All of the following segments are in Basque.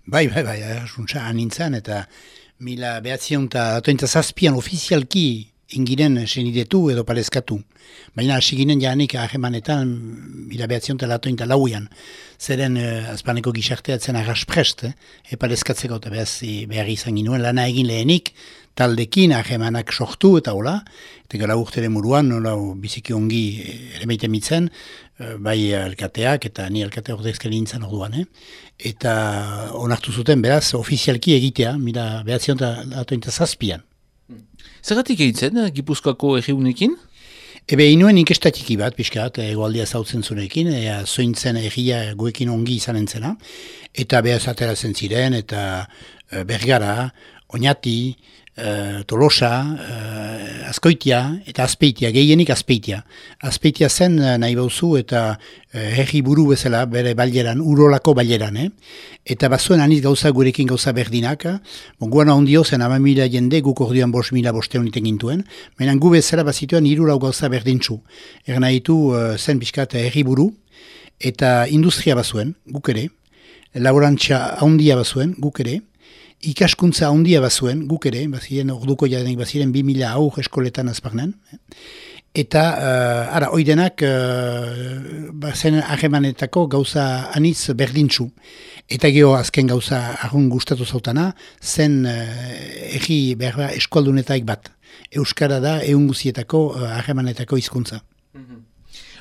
Bai, asuntza anintzan, eta 1907 ofizialki ingiren senidetu edo paleskatu. Baina hasi ginen janik ahemanetan 1908 zeren azpaneko gizarteatzen arrasprest, paleskatzeko eta behar izan ginuen lana egin lehenik, taldekin ahemanak sortu eta hola, eta gara urteren muruan, nola biziki ongi ere meite mitzen, bai alkateak eta ni alkate ordezkari nintzen orduan, eta onartu zuten beraz ofizialki egitea, 1907. Zergatik egitzen, Gipuzkoako erriunekin? Inuen inkestatiki bat, pixkat, egoaldia zautzen zurekin, zointzen erria guekin ongi izanen zena, eta behaz ateratzen ziren, eta Bergara, Oñati, Tolosa, Azkoitia eta Azpeitia, gehienik Azpeitia. Azpeitia zen nahi bauzu eta herri buru bezala bere baileran, urolako baileran. Eta bazuen aniz gauza gurekin gauza berdinak. Guan ahondio zen 10.000 jende, guk orduan 5.000 bosteun iten gintuen. Menan gu bezala bazituen 3 gauza berdintzu. Nahi ditu zen pixkat herri buru eta industria bazuen, guk ere. Laborantza ahondia bazuen, guk ere. Ikaskuntza handia bazuen, guk ere, baziren orduko jadenek baziren 2.000 aur eskoletan azparnen. Eta, oidenak, bazen ahemanetako gauza anitz berdintzu. Eta geho azken gauza argun gustatu zautana, zen egi berba eskualdunetaik bat. Euskara da eunguzietako ahemanetako hizkuntza.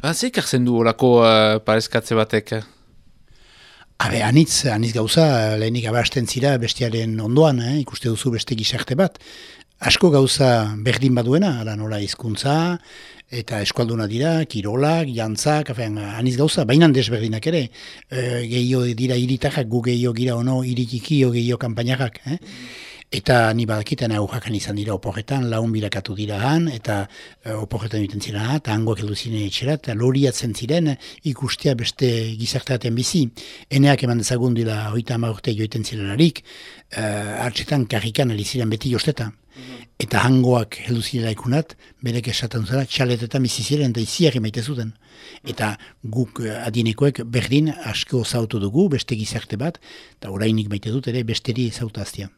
Zer kartzen du horako parezkatze batek? Anitz gauza, lehenik abasten zira bestiaren ondoan, ikuste duzu beste gizarte bat. Asko gauza berdin baduena, nola hizkuntza eta eskualduna dira, kirolak, jantzak, anitz gauza, bainan desberdinak ere. Gehio dira iritarrak, gu gehio gira ono iritiki, gehio kanpainarrak. Eta ni badakiten aurrakan izan dira oporretan, laun bilakatu dira han, eta oporretan egiten ziren eta hangoak heldu ziren etxera, eta loriatzen ziren ikustea beste gizarteaten bizi. Eneak eman dezagun dira 30 urte joiten zirelarik, hartzetan karrikan aliziren beti josteta. Eta hangoak heldu zirela ikunat, berek esaten zara, txaletetan bizi ziren eta iziak emaite zuten. Eta guk adinekoek berdin asko zautu dugu, beste gizarte bat, eta orainik maite dut ere besteri zautaztia.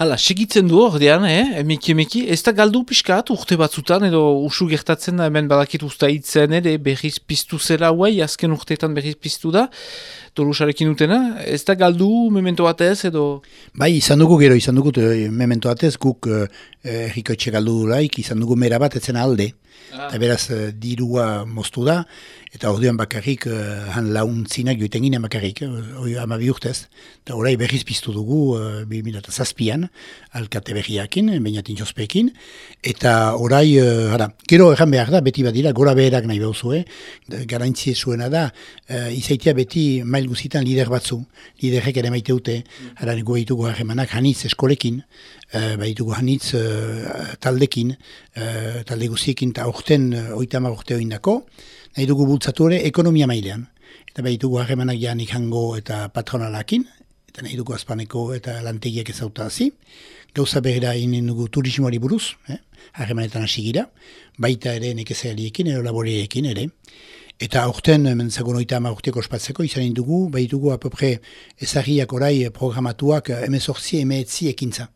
Hala, segitzen du ordean, emeki, ez da galdu pixkat urte batzutan, edo usu gertatzen da hemen badakit usta hitzen ere berriz piztu zela huai, azken urteetan berriz piztu da, Tolosarekin utena, ez da galdu memento batez edo? Bai, izan dugu memento batez, guk erriko etxe galdu dulaik, izan dugu mera bat etzen alde, eta beraz dirua moztu da, eta orduan bakarrik han launtzinak joiten ginen bakarrik, 12 urtez, eta orai berriz piztu dugu 2007an, alkate berriakin, bainatin jospekin, eta orai, gero erran behar da, beti badira, gora beherak nahi behuzue, garantzie zuena da, izaitia beti mail guzitan lider batzu, liderrek ere maite dute, gu behitugu harremanak hanitz eskolekin, behitugu hanitz taldekin, talde guziekin, eta orten 30 urte oindako, nahi dugu bultzatu ere ekonomia mailean. Eta behitugu harremanak janik hango eta patronalakin, eta nahi dugu azpaneko eta lantegiak ezautazi. Gauza berera inen dugu turismoari buruz, harremanetan hasi gira, baita ere nekezariekin, edo laboriekin ere. Eta aurten, mentzagon 30 urteko ospatzeko, izan dugu, behitugu apopre ezagriak orai programatuak 18 ekintza.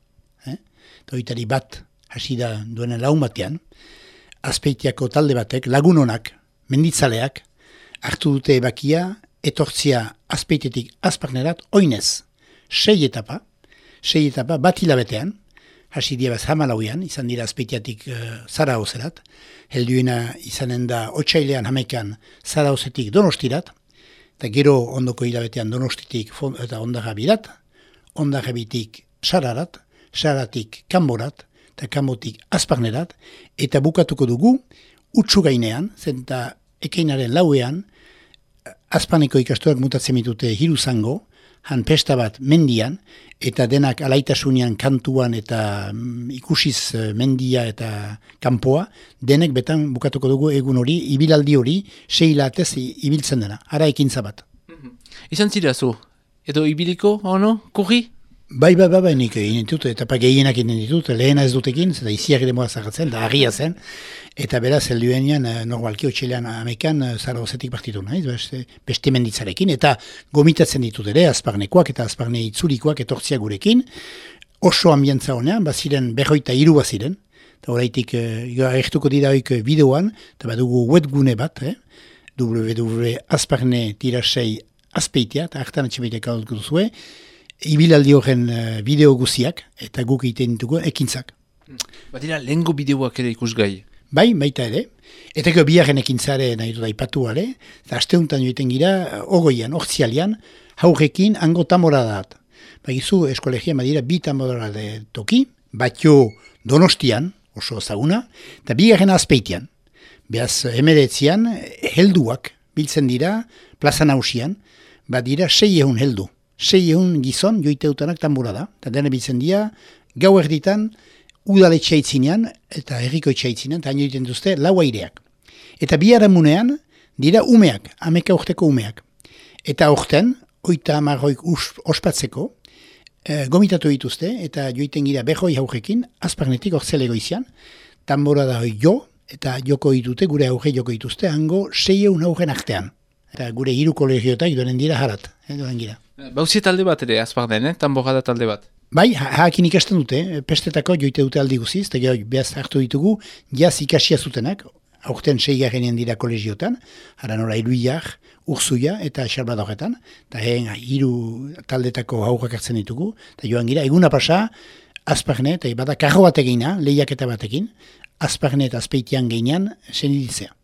Eta hoitari bat hasi da duenen laun batean, Azpeitiako talde batek, lagun honak, menditzaleak, hartu dute ebakia, etortzia Azpeitetik azparnerat, oinez, 6 etapa bat hilabetean, hasi diabaz hamalauian, izan dira Azpeitiatik Zaragozerat, helduena izanen da otsailean hamekan Zaragozetik Donostirat, eta gero ondoko hilabetean Donostitik eta Ondarrabirat, Ondarrabitik Sararat, Saratik Kanborat, eta Kanbotik Azparnerat, eta bukatuko dugu, utsu gainean, zenta ekeinaren lauean, Azpaneko ikastorak mutatzen mitute hiru zango, han pesta bat mendian, eta denak alaitasunean kantuan eta ikusiz mendia eta kanpoa, denek betan bukatuko dugu egun hori, ibilaldi hori, 6 hilatez ibiltzen dena, ara ekintza bat. Izan zira zu, edo ibiliko, kurri? Bai, nik egin ditut, eta gehienak egin ditut, lehena ez dutekin, eta iziak demoa zagatzen, da harria zen, eta beraz, helduenean, normalki otxelean amekan, Zaragozetik partitu nahiz, beste menditzarekin, eta gomitatzen ditut ere, azparnekoak eta azparne itzulikoak etortzia gurekin, oso ambientza honean, baziren, 23 baziren, eta horreitik, agertuko dira hoik bideoan, eta badugu webgune bat, www.azparne-sei azpeitea, eta hartan atxemeitek hau duzue, ibilaldi horren bideo guziak, eta guk egiten ditugu ekintzak. Badira, lehengo bideoak ere ikusgai? Bai, baita ere. Eta biharren ekintzare nahi dut aipatu ale, eta asteuntan joiten gira, ogoian, ortsialian, haurrekin hango tamoradaat. Bagizu, eskolegian badira, 2 tamorada toki, batio Donostian, oso ezaguna, eta biharren azpeitian. Beaz, emeretzian, helduak biltzen dira, plaza nausian, badira 600 heldu. 600 gizon joiteutanak tambura da. Eta dena biltzen dira, gau erditan, udaletxe aitzinean, eta herriko itxaitzinean, eta haino egiten duzte, lau aireak. Eta biharamunean, dira umeak, 11 urteko umeak. Eta orten, 30 ospatzeko, gomitatu dituzte, eta joiten gira behoi haurrekin, azparnetik ortzelego izan, tambora da jo, eta joko ditute, gure aurre joko dituzte, hango 600 aurren artean. Eta gure 3 kolegiotak donen dira harat, donen gira. Bauzie talde bat ere, azparnen, tambora da talde bat? Bai, hakin ikasten dute, pestetako joite dute aldi guziz, eta gero behaz hartu ditugu, jaz ikasia zutenak, aurten 6 dira kolegiotan, hara nora Iruiak, Urzuia eta Xalbadorretan, eta 3 taldetako haurrak hartzen ditugu, eta joan gira, eguna pasa, azparne, eta bada karro bat egina, lehiaketa batekin, azparne eta azpeitian geinean, seniditzea.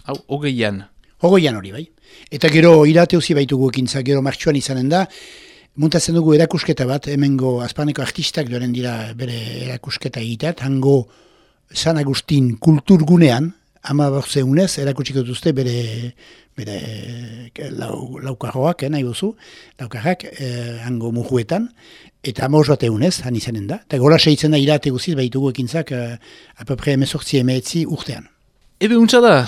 Hau, hogeian hori, bai. Eta gero irate uzi baitugu ekintza, gero martxuan izanen da, muntatzen dugu erakusketa bat, hemengo azparneko artistak doren dira bere erakusketa egiteat, hango San Agustin kulturgunean, 15 unez erakutsiko duzte bere laukarroak, nahi bozu, laukarrak, hango mujuetan, eta 15 unez, han izanen da. Eta gola segitzen da irate guziz baitugu ekintzak, apapre 18-19 urtean. Ebe untsa da,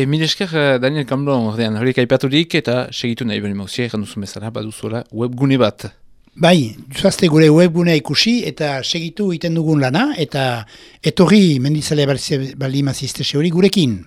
milesker Daniel Kamblon ordean horiek aipaturik eta segitu nahi beri mauzia, erranduzun bezala, baduzuela webgune bat. Bai, zuazte gure webgunea ikusi eta segitu iten dugun lana, eta etorri menditzalea bali mazizte hori gurekin.